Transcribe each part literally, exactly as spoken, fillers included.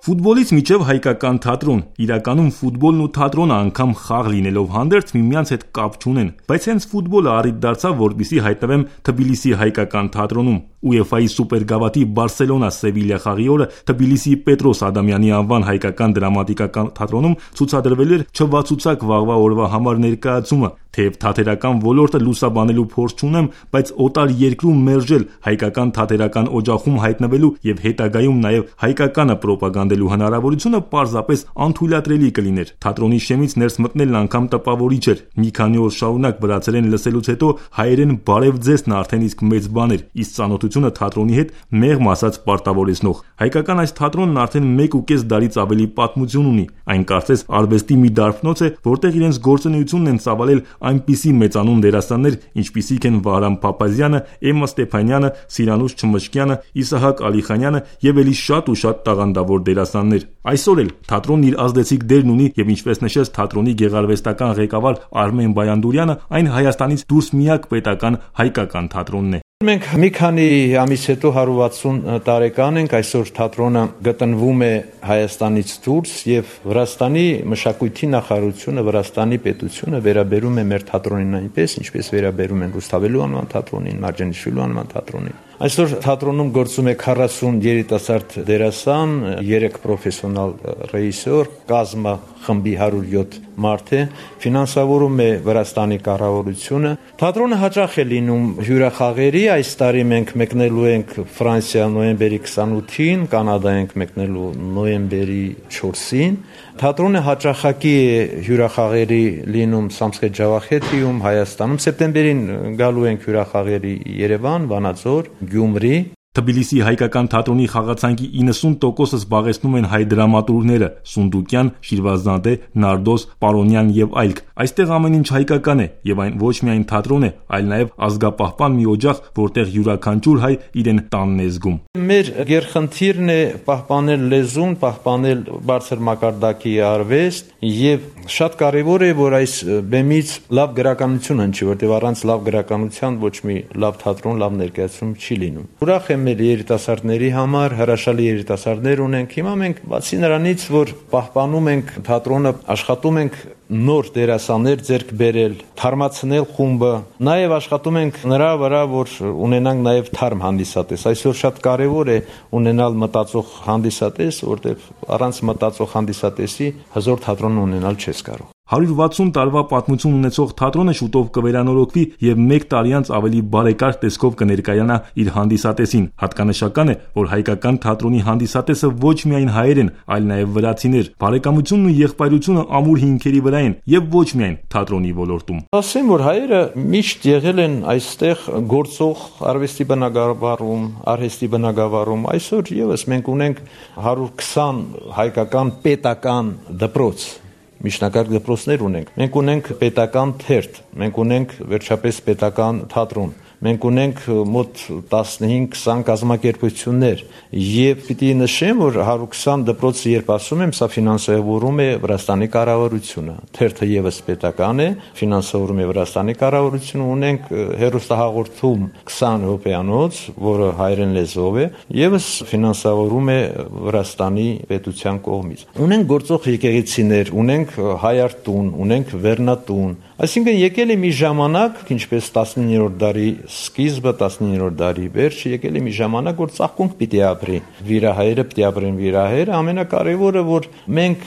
Ֆուտբոլից մինչև հայկական թատրոն, իրականում ֆուտբոլն ու թատրոնը անգամ խաղ լինելով հանդերձ միմյանց հետ կապ չունեն, բայց հենց ֆուտբոլը առիթ դարձավ, որպեսզի հայտնվեմ Թբիլիսի հայկական թատրոնում։ ՈՒԵՖԱ-ի սուպերգավաթի Բարսելոնա-Սևիլիա խաղի օրը Թբիլիսիի Պետրոս Ադամյանի անվան հայկական դրամատիկական թատրոնում ցուցադրվել էր չվացուցակ վաղվա օրվա համար ներկայացումը։ Թեև թատերական ոլորտը լուսաբանելու փորձ չունեմ, բայց օտար երկրում մերժել, հայկական թատերական օջախում հայտնվելու եւ հետագայում նաեւ հայկականը պրոպագանդելու հնարավորությունը պարզապես անթույլատրելի կլիներ։ Թատրոնի շեմից ներս մտնելն անգամ տպավորիչ էր։ Մի քանի օր շարունակ վրացերեն լսելուց հետո հայերեն բարև ձեզն արդեն իսկ մեծ բան էր, իսկ ծանոթությունը թատրոնի հետ մեղմ ասած պարտավորեցնող։ Հայկական այս թատրոնն արդեն մեկ ու կես դարից ավելի պատմություն ունի։ Այն կարծես արվեստի մի դարբնոց է, որտեղ իրենց գործունեությունն են ծավալել այնպիսի մեծանուն դերասաններ, ինչպիսիք են Վահրամ Փափազյանը, Էմմա Ստեփանյանը, Սիրանուշ Չմշկյանը, Իսահակ Ալիխանյանը եւ ելի շատ ու շատ տաղանդավոր դերասաններ։ Այսօր էլ թատրոնն իր ազդեցիկ դերն ունի եւ ինչպես նշեց թատրոնի գեղարվեստական ղեկավար Արմեն Բայանդուրյանը, այն Հայաստանից դուրս միակ պետական հայկական թատրոնն է։ Մենք մի քանի ամիս հետո հարյուր վաթսուն տարեկան ենք, այսօր թատրոնը գտնվում է Հայաստանից դուրս եւ Վրաստանի մշակույթի նախարարությունը, Վրաստանի պետությունը վերաբերում է մեր թատրոնին այնպես, ինչպես վերաբերում են Ռուսթավելու անվան թատրոնին, Մարջանիշվիլու անվան թատրոնին։ Այսօր թատրոնում գործում է քառասուն երիտասարդ դերասան, երեք պրոֆեսիոնալ ռեժիսոր, կազմը խմբի հարյուր յոթ մարդ է, ֆինանսավորում է Վրաստանի կառավարությունը։ Թատրոնը հաճախ է լինում հյուրախաղերի, այս տարի մենք մեկնելու ենք Ֆրանսիա նոյեմբերի քսանութին, Կանադա ենք մեկնելու նոյեմբերի չորսին։ Թատրոնը հաճախակի է հյուրախաղերի լինում Սամսխետ Ջավախեթիում, Հայաստանում, սեպտեմբերին գալու ենք հյուրախաղերի Երևան, Վանաձոր, Գյումրի։ Թբիլիսի հայկական թատրոնի խաղացանկի իննսուն տոկոսը զբաղեցնում են հայ դրամատուրգները՝ Սունդուկյան, Շիրվազադե, Նարդոս, Պարոնյան եւ այլք։ Այստեղ ամեն ինչ հայկական է եւ այն ոչ միայն թատրոն է, այլ նաեւ ազգապահպան մի օջախ, որտեղ յուրաքանչյուր հայ իրեն տանն է զգում։ Մեր գերխնդիրն է պահպանել լեզուն, պահպանել բարձր մակարդակի արվեստ եւ շատ կարեւոր է, որ այս բեմից լավ գրականություն հնչի, որտեղ առանց լավ գրականության ոչ մի լավ թատրոն, լավ ներկայացում չի լինում։ Ուրախ եմ մեր երիտասարդների համար, հրաշալի երիտասարդներ ունենք։ Հիմա մենք բացի նրանից, որ պահպանում ենք թատրոնը, աշխատում ենք նոր դերասաններ ձեռք բերել, թարմացնել խումբը, նաև աշխատում ենք նրա վրա, որ ունենանք նաև թարմ հանդիսատես։ Այսօր շատ կարևոր է ունենալ մտածող հանդիսատես, որտեղ առանց մտածող հանդիսատեսի հզոր թատրոն ունենալ չես կարող։ հարյուր վաթսուն տարվա պատմություն ունեցող թատրոնը շուտով կվերանորոգվի եւ մեկ տարի անց ավելի բարեկարգ տեսքով կներկայանա իր հանդիսատեսին։ Հատկանշական է, որ հայկական թատրոնի հանդիսատեսը ոչ միայն հայեր են, այլ նաեւ վրացիներ։ Բարեկամությունն ու եղբայրությունը ամուր հիմքերի վրա են եւ ոչ միայն թատրոնի ոլորտում։ Ասեմ, որ հայերը միշտ եղել են այստեղ գործող արվեստի բնագավառում, արհեստի բնագավառում։ Այսօր եւս մենք ունենք հարյուր քսան հայկական պետական դպրոց, միջնակարգ դպրոցներ ունենք, մենք ունենք պետական թերթ, մենք ունենք վերջապես պետական թատրոն, մենք ունենք մոտ տասնհինգ քսան կազմակերպություններ եւ պիտի նշեմ, որ հարյուր քսան դպրոցը երբ ասում եմ, սա ֆինանսավորում է Վրաստանի կառավարությունը, թերթը եւս պետական է, ֆինանսավորում է Վրաստանի կառավարությունը, ունենք հեռուստահաղորդում քսան րոպեանոց, որը հայերեն լեզվով է, եւս ֆինանսավորում է Վրաստանի պետության կողմից։ Ունենք գործող եկեղեցիներ, ունենք հայարտուն, ունենք վերնատուն, այսինքն եկել է մի ժամանակ, ինչպես տասնիններորդ դարի սկիզբը, տասնիններորդ դարի վերջը, եկել է մի ժամանակ, որ ծաղկունք պիտի ապրի, վիրահայերը պիտի ապրեն վիրահայերը, ամենակարևորը, որ մենք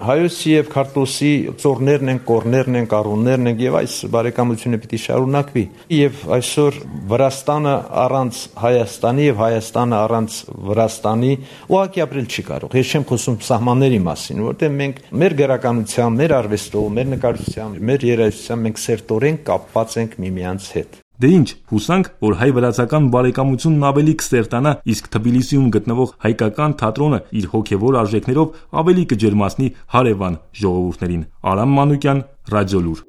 հայոցի եւ քարտոսի ծորներն ենք, կորներն ենք, առուններն ենք եւ այս բարեկամությունը պիտի շարունակվի։ Եվ այսօր Վրաստանը առանց Հայաստանի եւ Հայաստանը առանց Վրաստանի ուղղակի ապրել չի կարող։ Ես չեմ խոսում սահմանների մասին, որտեղ մենք մեր գրականության, մեր արվեստով, մեր նկարչությամբ, մեր երաժշտությամբ մենք սերտորեն կապված ենք միմյանց հետ։ Դե ինչ, հուսանք, որ հայ-վրացական բարեկամությունն ավելի կսերտանա, իսկ Թբիլիսիում գտնվող հայկական թատրոնը իր հոգևոր արժեքներով ավելի կջերմացնի հարևան ժողովուրդներին։ Արամ Մանուկյան, Ռադիոլուր։